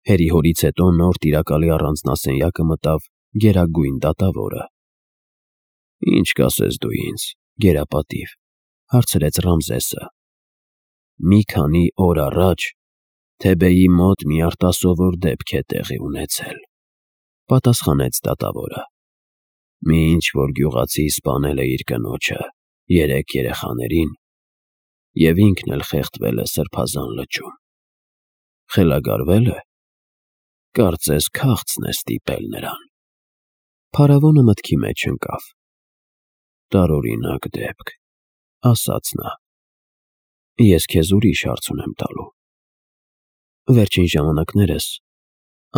Հերի-հորից հետո նոր տիրակալի առանձնասենյակը մտավ գերագույն դատավորը։ «Ինչ կասես դու ինձ, գերապատիվ», հարցրեց Ռամզեսը։ «Մի քանի օր առաջ Թեբեի մոտ մի արտասովոր դեպք է տեղի ունեցել», պատասխանեց դատավորը։ «Մի ինչ-որ գյուղացի սպանել է իր կնոջը, 3 երեխաներին, և ինքն էլ խեղդվել է Սրբազան լճում։ Խելագարվե՞լ է։ Կարծես քաղցն է ստիպել նրան»։ Փարավոնը մտքի մեջ ընկավ։ «Տարօրինակ դեպք», ասաց նա։ «Ես քեզ ուրիշ հարց ունեմ տալու։ Վերջին ժամանակներս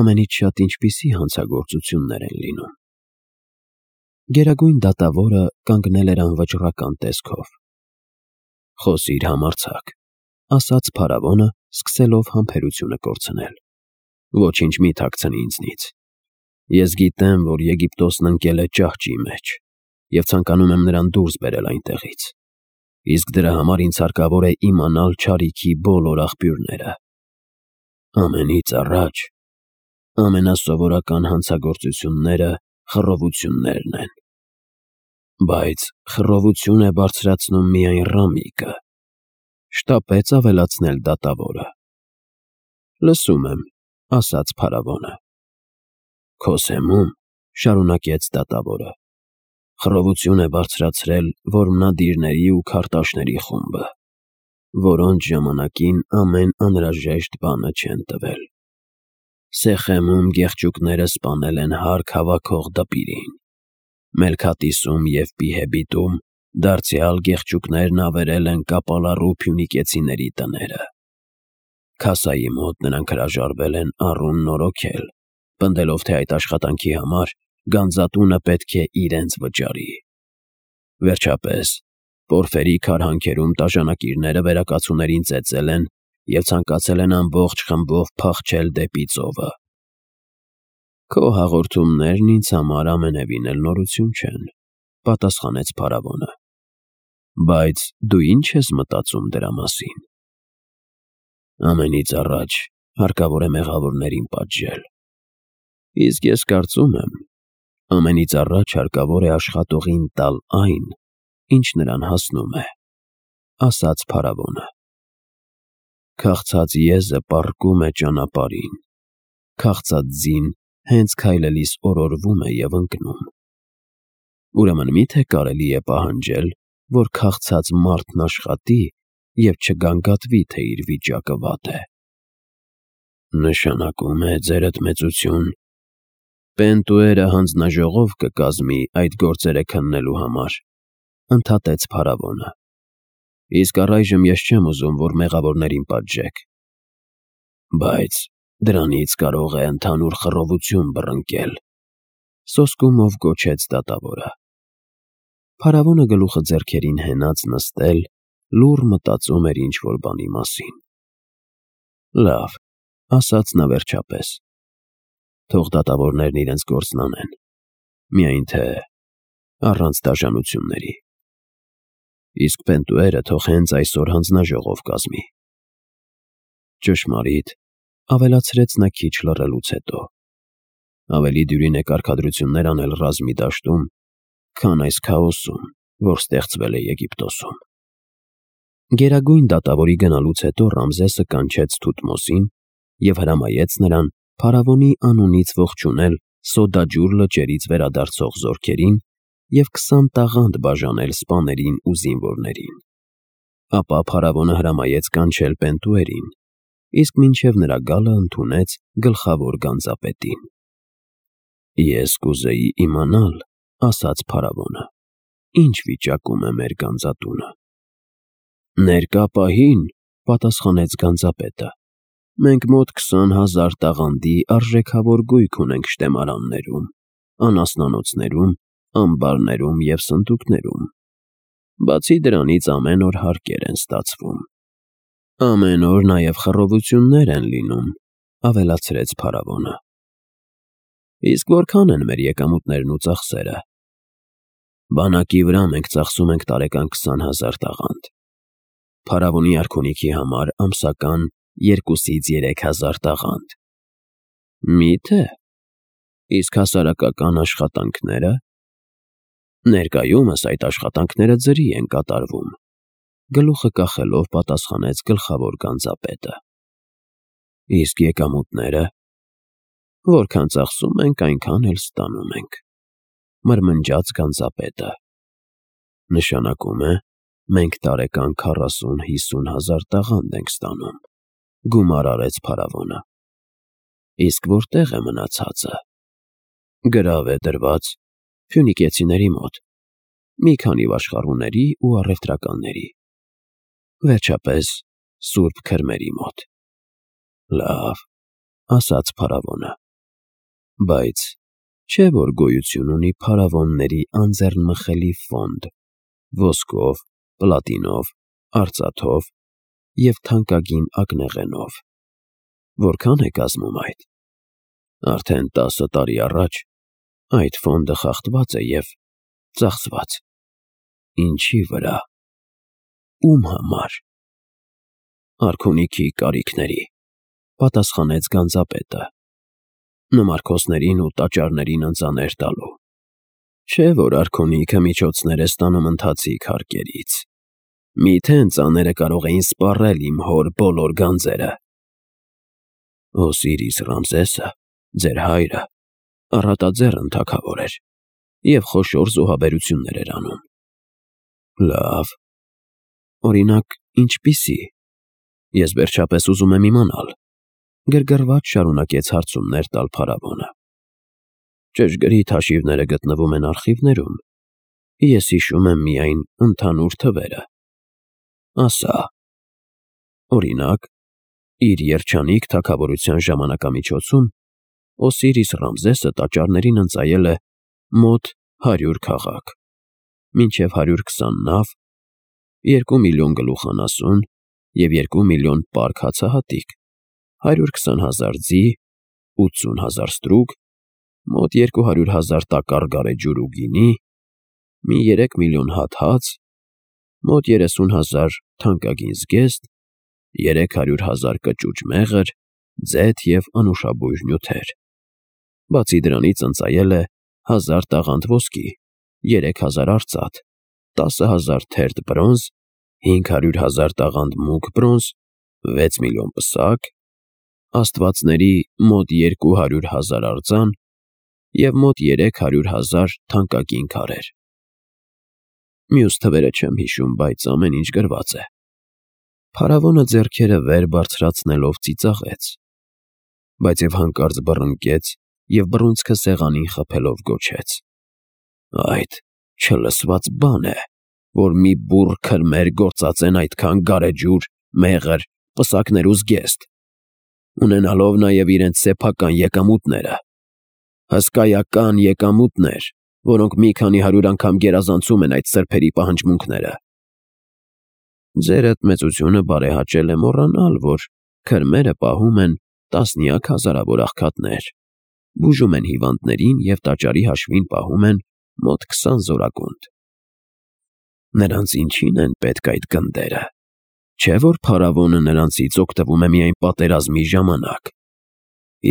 ամենից շատ ինչպիսի հանցագործություններ են լինում»։ Գերագույն դատավորը կանգնել էր անվճռական տեսքով։ «Խոսիր համարձակ», ասաց փարավոնը, սկսելով համբերությունը կորցնել։ «Ոչինչ մի թաքցնի ինձնից։ Ես գիտեմ, որ Եգիպտոսն ընկել է ճահճի մեջ, և ցանկանում եմ նրան դուրս բերել այնտեղից։ Իսկ դրա համար ինձ հարկավոր է իմանալ չարիքի բոլոր աղբյուրները։ Ամենից առաջ ամենասովորական հանցագործությունները խռովություններն են։ Բայց խռովություն է բարձրացնում միայն Ռամիկը», շտապեց ավելացնել դատավորը։ «Լսում եմ», ասաց փարավոնը։ «Քո սեմում», շարունակեց դատավորը, «խռովություն է բարձրացրել որմնադիրների ու քարտաշների խումբը, որոնց ժամանակին ամեն անհրաժեշտ բանը չեն տվել։ Սեխեմում գեղչուկները սպանել են հարկ հավաքող դպիրին։ Մելքաթիսում և Պիհեբիտում դարձյալ գեղչուկներն ավերել են կապալառու փյունիկեցիների տները։ Քասայի մոտ նրանք հրաժարվել են առուն նորոգել, պնդելով, թե այդ աշխատանքի համար գանձատունը պետք է իրենց վճարի։ Վերջապես, Պորֆերի քարհանքերում տաժանակիրները վերակացուներին ծեծել են և ցանկացել են ամբողջ խմբով փախչել դեպի ծովը»։ «Քո հաղորդումներն ինձ համար ամենևին էլ նորություն չեն», պատասխանեց փարավոնը։ «Բայց դու ի՞նչ ես մտածում դրա մասին»։ «Ամենից առաջ հարկավոր է մեղավորներին պատժել։ Իսկ ես կարծում եմ, ամենից առաջ հարկավոր է աշխատողին տալ այն, ինչ նրան հասնում է», ասաց փարավոնը։ «Քաղցած եզը պառկում է ճանապարհին, քաղցած ձին հենց քայլելիս օրորվում է և ընկնում։ Ուրեմն մի՞թե կարելի է պահանջել, որ քաղցած մարդն աշխատի և չգանգատվի, թե իր վիճակը վատ է»։ «Նշանակում է, ձերդ մեծություն, Պենտուերը հանձնաժողով կկազմի այդ գործերը քննելու համար», ընդհատեց փարավոնը։ «Իսկ առայժմ ես չեմ ուզում, որ մեղավորներին պատժեք։ Բայց դրանից կարող է ընդհանուր խռովություն բռնկել», սոսկումով գոչեց դատավորը։ Փարավոնը գլուխը ձեռքերին հենած նստել, լուռ մտածում էր ինչ-որ բանի մասին։ «Լավ», ասաց նա վերջապես, «թող դատավորներն իրենց գործն անեն, միայն թե առանց դաժանությունների։ Իսկ Պենտուերը թող հենց այսօր հանձնաժողով կազմի»։ «Ճշմարիտ», ավելացրեց նա քիչ լռելուց հետո, «ավելի դյուրին է կարգադրություններ անել ռազմի դաշտում, քան այս քաոսում, որ ստեղծվել է Եգիպտոսում»։ Գերագույն դատավորի գնալուց հետո Ռամզեսը կանչեց Թութմոսին և հրամայեց նրան փարավոնի անունից ողջունել Սոդաջուր լճերից վերադարձող զորքերին և 20 տաղանդ բաժանել սպաներին ու զինվորներին։ Ապա փարավոնը հրամայեց կանչել Պենտուերին, իսկ մինչև նրա գալը ընդունեց գլխավոր գանձապետին։ «Ես կուզեի իմանալ», ասաց փարավոնը, «ինչ վիճակում է մեր գանձատունը»։ «Ներկա պահին», պատասխանեց գանձապետը, «մենք մոտ 20,000 տաղանդի արժեքավոր գույք ունենք շտեմարաններում, անասնանոցներում, ամբարներում և սնդուկներում։ Բացի դրանից ամեն օր հարկեր են ստացվում։ Ամեն օր նաև խռովություններ են լինում», ավելացրեց փարավոնը։ «Իսկ որքան են մեր եկամուտներն ու ծախսերը»։ «Բանակի վրա մենք ծախսում ենք տարեկան 20,000 տաղանդ, փարավոնի արքունիքի համար ամսական 2-ից 3,000 տաղանդ, Մի՞թե։ Իսկ հասարակական աշխատանքները։ Ներկայումս այդ աշխատանքները ձրի են կատարվում, գլուխը կախելով պատասխանեց գլխավոր գանձապետը։ Իսկ եկամուտները։ Որքան ծախսում ենք, այնքան էլ ստանում ենք, մրմնջաց գանձապետը։ Նշանակում է, մենք տարեկան 40-50 հազար տաղանդ ենք ստանում, գումար արեց փարավոնը։ Իսկ որտեղ է մնացածը։ Գրավ է դրված ֆյունիկեցիների մոտ, մի քանի վաշխառուների ու առևտրականների, վերջապես Սուրբ Քրմերի մոտ։ Լավ, ասաց փարավոնը, բայց չէ՞ որ գոյություն ունի փարավոնների անձեռնմխելի ֆոնդ, ոսկով, պլատինով, արծաթով և թանկագին ակնեղենով։ Որքան է կազմում այդ։ Արդեն 10 տարի առաջ այդ ֆոնդը խախտված է և ծախսված։ Ինչի վրա։ Ում համար։ Արքունիքի կարիքների, պատասխանեց գանձապետը, նմարքոսներին ու տաճարներին ընծաներ տալու։ Չէ՞ որ արքունիքը միջոցներ է ստանում ընթացիկ հարկերից։ Միթե ընծաները կարող էին սպառել իմ հոր բոլոր գանձերը։ Օսիրիս Ռամզեսը, ձեր հայրը, առատաձեռն թագավոր էր և խոշոր զոհաբերություններ էր անում։ Լավ։ Օրինակ, ինչպիսի։ Ես վերջապես ուզում եմ իմանալ, գրգռված շարունակեց հարցումներ տալ փարավոնը։ Ճշգրիտ հաշիվները գտնվում են արխիվներում, ես հիշում եմ միայն ընդհանուր թվերը։ Ասա։ Օրինակ, իր երջանիկ թագավորության ժամանակամիջոցում Օսիրիս Ռամզեսը տաճարներին ընծայել է մոտ 100 քաղաք, մինչև 120 նավ, 2 միլիոն գլուխանասուն և 2 միլիոն պարկ հացահատիկ, 120 հազար ձի, 80 հազար ստրուկ, մոտ 200 հազար տակառ գարեջուր ու գինի, մի 3 միլիոն հատ հաց, մոտ 30 հազար թանկագին զգեստ, 300 հազար կճուճ մեղր, ձեթ և անուշաբույր նյութեր։ Բացի դրանից ընծայել է 1000 տաղանդ ոսկի, 3000 արծաթ, 10,000 թերթ բրոնզ, 500 հազար տաղանդ մուգ բրոնզ, 6 միլիոն պսակ, աստվածների մոտ 200 հազար արձան և մոտ 300 հազար թանկագին քարեր։ Մյուս թվերը չեմ հիշում, բայց ամեն ինչ գրված է։ Փարավոնը ձեռքերը վեր բարձրացնելով ծիծաղեց, բայց և հանկարծ բռնկեց և բռունցքը սեղանին խփելով գոչեց. Այդ չլսված բան է, որ մի բուռ քրմեր գործածեն այդքան գարեջուր, մեղր, պսակներ ու զգեստ, ունենալով նաև իրենց սեփական եկամուտները, հսկայական եկամուտներ, որոնք մի քանի 100 անգամ գերազանցում են այդ սրբերի պահանջմունքները։ Ձերդ մեծությունը բարեհաճել է մոռանալ, որ քրմերը պահում են տասնյակ հազարավոր աղքատներ, բուժում են հիվանդներին և տաճարի հաշվին պահում են մոտ 20 զորակոնդ։ Նրանց ինչին են պետք այդ գնդերը։ Չէ՞ որ փարավոնը նրանցից օգտվում է միայն պատերազմի ժամանակ։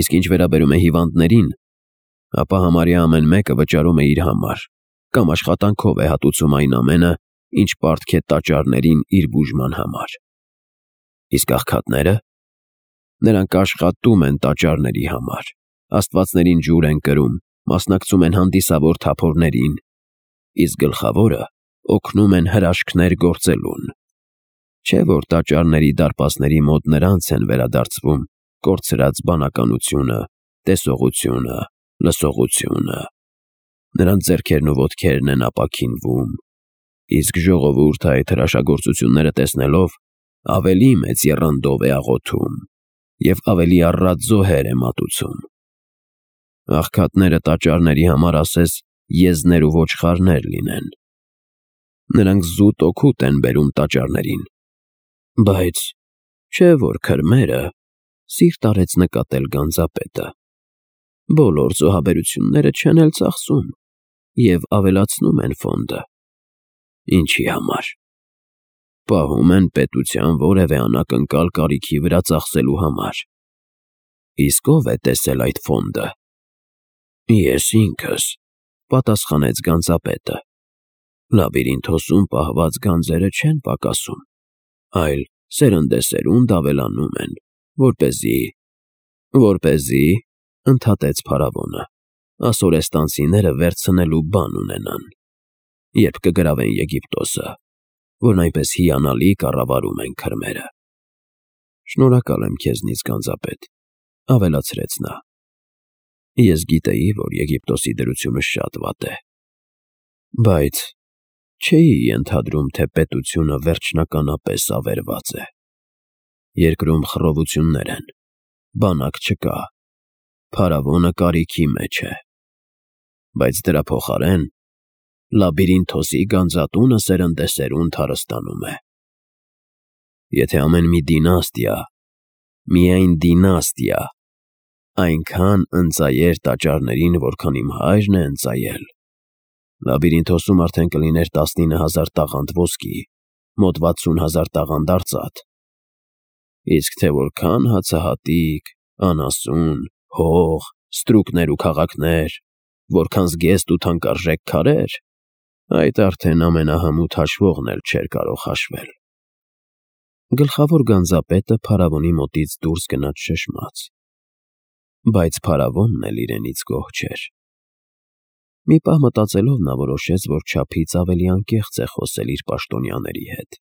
Իսկ ինչ վերաբերում է հիվանդներին, ապա համարյա ամեն մեկը վճարում է իր համար, կամ աշխատանքով է հատուցում այն ամենը, ինչ պարտք է տաճարներին իր բուժման համար։ Իսկ աղքատները։ Նրանք աշխատում են տաճարների համար, աստվածներին ջուր են կրում, մասնակցում են հանդիսավոր թափորներին, իսկ գլխավորը օգնում են հրաշքներ գործելուն։ Չէ՞ որ տաճարների դարպասների մոտ նրանց են վերադարձվում կորցրած բանականությունը, տեսողությունը, լսողությունը։ Նրանց ձեռքերն ու ոտքերն են ապաքինվում, իսկ ժողովուրդը այդ հրաշագործությունները տեսնելով ավելի մեծ եռանդով է աղոթում և ավելի առատ զոհեր է մատուցում։ Աղքատները տաճարների համար ասես եզներ ու ոչխարներ լինեն։ Նրանք զուտ օգուտ են բերում տաճարներին։ Բայց չէ՞ որ քրմերը, սիրտ արեց նկատել գանձապետը, բոլոր զոհաբերությունները չեն էլ ծախսում և ավելացնում են ֆոնդը։ Ինչի համար։ Պահում են պետության որևէ անակնկալ կարիքի վրա ծախսելու համար։ Իսկ ով է տեսել այդ ֆոնդը։ Ես ինքս, պատասխանեց գանձապետը։ Լաբիրինթոսում պահված գանձերը չեն պակասում, այլ սերնդեսերունդ ավելանում են, որպեսզի, ընդհատեց փարավոնը, ասորեստանցիները վերցնելու բան ունենան, երբ կգրավեն Եգիպտոսը, որն այնպես հիանալի կառավարում են քրմերը։ Շնորհակալ եմ քեզնից, գանձապետ, ավելացրեց նա։ Ես գիտեի, որ Եգիպտոսի դրությունը շատ վատ է, բայց չէի ենթադրում, թե պետությունը վերջնականապես ավերված է։ Երկրում խռովություններ են, բանակ չկա, փարավոնը կարիքի մեջ է, բայց դրա փոխարեն Լաբիրինթոսի գանձատունը սերնդեսերունդ հարստանում է։ Եթե ամեն մի դինաստիա, միայն դինաստիա, այնքան ընծայեր տաճարներին, որքան իմ հայրն է ընծայել, Լաբիրինթոսում արդեն կլիներ 19,000 տաղանդ ոսկի, մոտ 60,000 տաղանդ արծաթ, իսկ թե որքան հացահատիկ, անասուն, հող, ստրուկներ ու քաղաքներ, որքան զգեստ ու թանկարժեք քարեր, այդ արդեն ամենահմուտ հաշվողն էլ չէր կարող հաշվել։ Գլխավոր գանձապետը փարավոնի մոտից դուրս գնաց շշմած, բայց փարավոնն էլ իրենից գոհ չէր։ Մի պահ մտածելով նա որոշեց, որ չափից ավելի անկեղծ է խոսել իր պաշտոնյաների հետ։